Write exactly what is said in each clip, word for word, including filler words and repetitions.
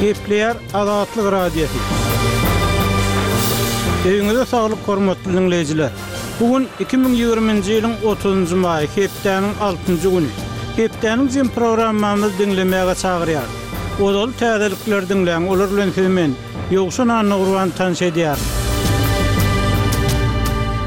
Gepleýär Azatlyk Radiosy. Öýüňize saglyk hormatly diňleýjiler. Bu gün iki müň ýigriminji ýylyň otuzynjy maýy, hepdäniň altynjy güni. Hepdäniň jem programmamyzy diňlemäge çagyrýar. Ozaly täzelikleri diňläň, olar bilen sizi men, Ýowşan Annagurban tanyş edýärin.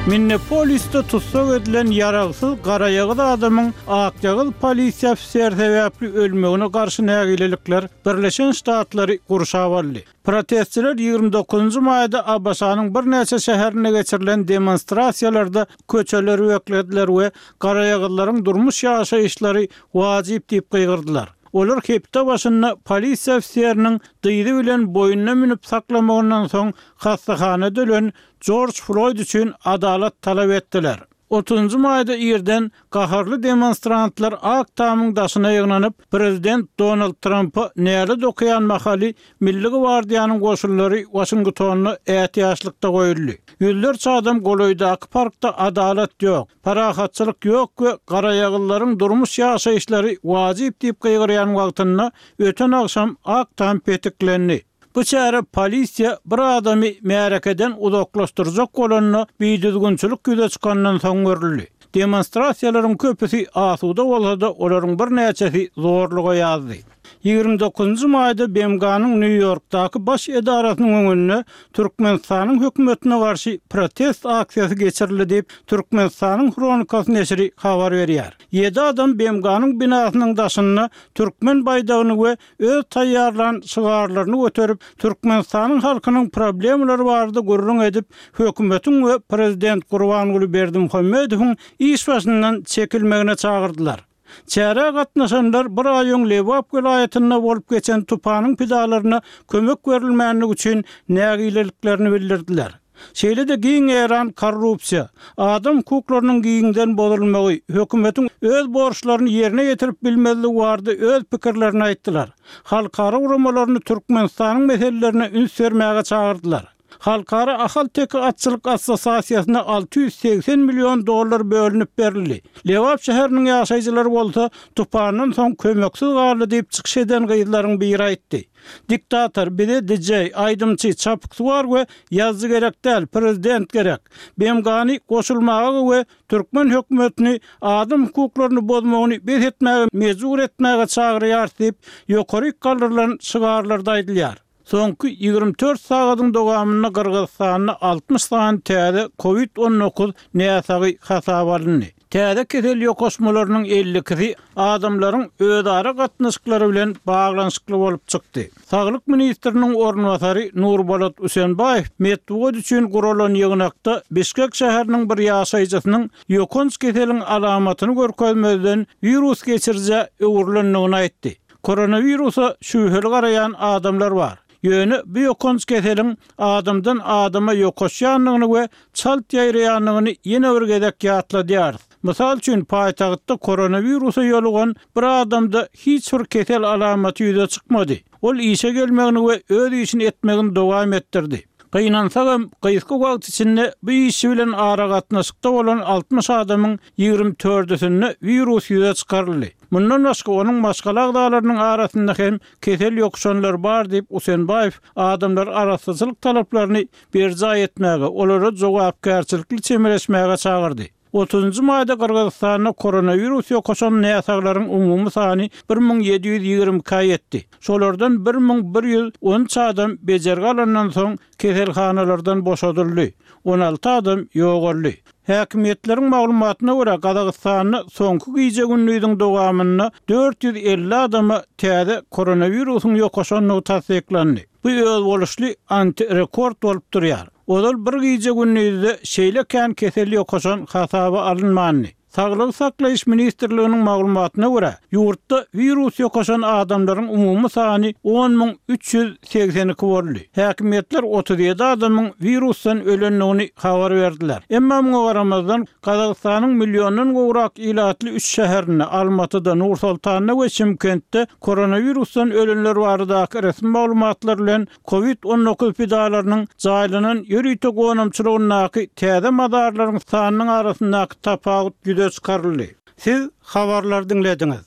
Minneapolisde tussag edilen ýaragsyz garaýagyz adamyň akýagyz polisiýa ofiseri sebäpli ölmegine garşy nägilelikler Birleşen Ştatlary gurşap aldy. Protestçiler ýigrimi dokuzynjy maýda A B Ş-nyň birnäçe şäherinde geçirilen demonstrasiýalarda köçeleri beklediler we garaýagyzlaryň durmuş ýaşaýyşlary wajyp diýip gygyrdylar. Olar hepde başynda polisiýa ofiseriniň dyzy bilen boýnuna münüp saklamagyndan soň hassahana dölen George Floyd üçin adalat talap etdiler. Otuzynjy maýda irden gaharly demonstrantlar Ak Tamyň daşyna ýygnanyp, Prezident Donald Trumpa näle dokuýan mahaly Milli Gwardiýanyň goşunlary Washingtonda ätiýaçlykda goýuldy. Ýüzlerçe adam golaýdaky parkda adalat ýok, parahatçylyk ýok we garaýagyzlaryň durmuş ýaşaýyşlary wajyp diýip gygyrýan wagtynda öten agşam Ak Tam petiklendi. Bu çäre polisiýa bir adamy märekeden uzaklaşdyrjak bolanda bidüzgünçilik ýüze çykandan soň görüldi. Demonstrasiýalaryň köpüsi asuda bolsa-da olaryň birnäçesi zorluga ýazdy. Ýigrimi dokuzynjy maýda B M G-nyň Nýu-Ýorkdaky baş edarasynyň öňünde Türkmenistanyň hökümetine garşy protest aksiýasy geçirildi diýip, Türkmenistanyň Hronikasy neşiri habar berýär. Ýedi adam B M G-nyň binasynyň daşynda türkmen baýdagyny we öz taýýarlan şygarlaryny göterip, Türkmenistanyň halkynyň problemalary barada gürrüň edip, hökümetiň we Prezident Gurbanguly Berdimuhamedowyň iş başyndan çekilmegine çagyrdylar. Çärä gatnaşanlar bir aý öň Lebap welaýatynda bolup geçen tupanyň pidalaryna kömek berilmänligi üçin nägileliklerini bildirdiler. Şeýle-de giň ýaýran korrupsiýa, adam hukuklarynyň giňden bozulmagy, hökümetiň öz borçlaryny ýerine ýetirip bilmezligi barada öz pikirlerini aýtdylar. Halkara guramalaryny Türkmenistanyň meselelerine üns bermäge çagyrdylar. Halkara Ahal-Teke atçylyk assosiasiýasyna alty ýüz segsen million dollar bölünip berildi. Lebap şäheriniň ýaşaýjylary bolsa tupandan soň kömeksiz galdy diýip çykyş eden gyzlaryň biri aýtdy. Diktator bize D J, aýdymçy, çapyksuwar we ýazyjy gerek däl, prezident gerek. B M G-ny goşulmaga we türkmen hökümetini adam hukuklaryny bozmagyny bes etmäge mejbur etmäge çagyrýar diýip, ýokary galdyrylan şygarlarda aýdylýar. Soňky ýigrimi dört sagadyň dowamynda Gyrgyzystanda altmyş sany täze COVID on dokuz näsagy hasaba alyndy. Täze kesel ýokaşmalarynyň elli ikisi adamlaryň özara gatnaşyklary bilen baglanyşykly bolup çykdy. Saglyk ministriniň orunbasary Nurbolat Usenbaýew metbugat üçin guralan ýygnakda Bişkek şäheriniň bir ýaşaýjysynyň ýokanç keseliň alamatyny görkezmezden wirus geçirije öwrülendigini aýtdy. Koronawirusa şübheli garaýan adamlar bar. Ýöne bu ýokanç keseliň adamdan adama ýokaşýandygyny we çalt ýaýraýandygyny ýene bir gezek ýatladýarys. Mysal üçin, paýtagtda koronawirusa ýolugan bir adamda hiç bir kesel alamaty ýüze çykmady. Ol işe gelmegini we öz işini etmegini dowam etdirdi. Gynansagam, gysga wagt içinde bu işi bilen aragatnaşykda bolan altmyş adamyň ýigrimi dördüsinde wirus ýüze çykaryldy. Mundan başga onuň maşgala agzalarynyň arasynda hem kesel ýokuşanlar bar diýip Usenbaýew adamlar arassaçylyk talaplaryny berjaý etmäge, olara jogapkärçilikli çemeleşmäge çagyrdy. Otuzynjy maýda Gyrgyzystanda koronavirus ýokaşan näsaglaryň umumy sany bir müň ýedi ýüz ýigrimi iki ýetdi. Şolardan bir müň bir ýüz on üç adam bejergi alandan soň keselhanalardan boşadyldy. On alty adam ýogaldy. Häkimiýetleriň maglumatyna görä Gazagystanda soňky gije gündüziň dowamynda dört ýüz elli adama täze koronawirusyň ýokaşandygy tassyklandy. Bu özboluşly antirekord bolup durýar. Ozal bir gije gündüzde şeýle kän kesel ýokaşan hasaba alynmandy. Saglygy saklaýyş ministrliginiň maglumatyna görä, ýurtda wirus ýokaşan adamlaryň umumy sany on müň üç ýüz segsen iki boldy. Häkimiýetler otuz ýedi adamyň wirusdan ölendigini habar berdiler. Emma muňa garamazdan Gazagystanyň milliondan gowrak ilatly üç şäherinde, Almatyda, Nur-Sultanda we Çimkentde koronavirusdan ölenler baradaky resmi maglumatlar bilen COVID on dokuz pidalarynyň jaýlanan ýörite gonamçylygyndaky täze mazarlaryň sanynyň arasyndaky tapawut ýüze çykaryldy. Siz habarlar diňlediňiz.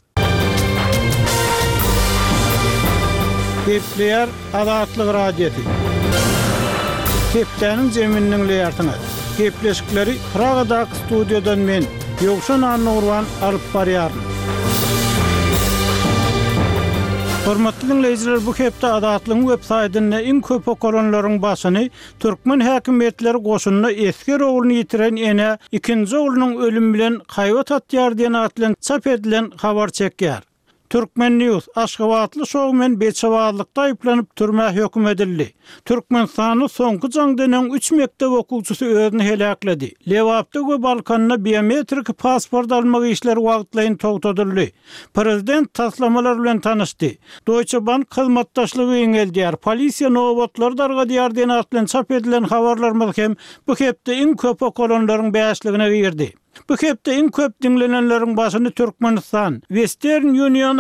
Gepleýär Azatlyk Radiosy. Hepdäniň jemini diňleýärsiňiz. Gepleşikleri Pragadaky studiýadan men, Ýowşan Annagurban alyp barýaryn. Hormatly diňleýjiler, bu hepde Azatlygyň web saýtynda iň köp okalanlaryň başyny türkmen häkimiýetleri goşunda esger ogluny ýitiren ene ikinji oglunyň ölümi bilen haýbat atýar diýen at bilen çap edilen habar çekýär. Turkmen News Aşgabatly şoumen beçebazlykda aýyplanyp türmä höküm edildi. Türkmenistanda soňky jaňdan öň üç mekdep okuwçysy özüni heläkledi. Lebapda we Balkanda biometrik pasport almak işleri wagtlaýyn togtadyldy. Prezident taslamalar bilen tanyşdy. Deutsche Bank hyzmatdaşlygy giňeldýär. Polisiýa nobatlary dargadýar diýen at bilen çap edilen habarlarymyz hem bu hepde iň köp okalanlaryň bäşligine girdi. Bu hepde iň köp diňlenenleriň başyny Türkmenistan, Western Union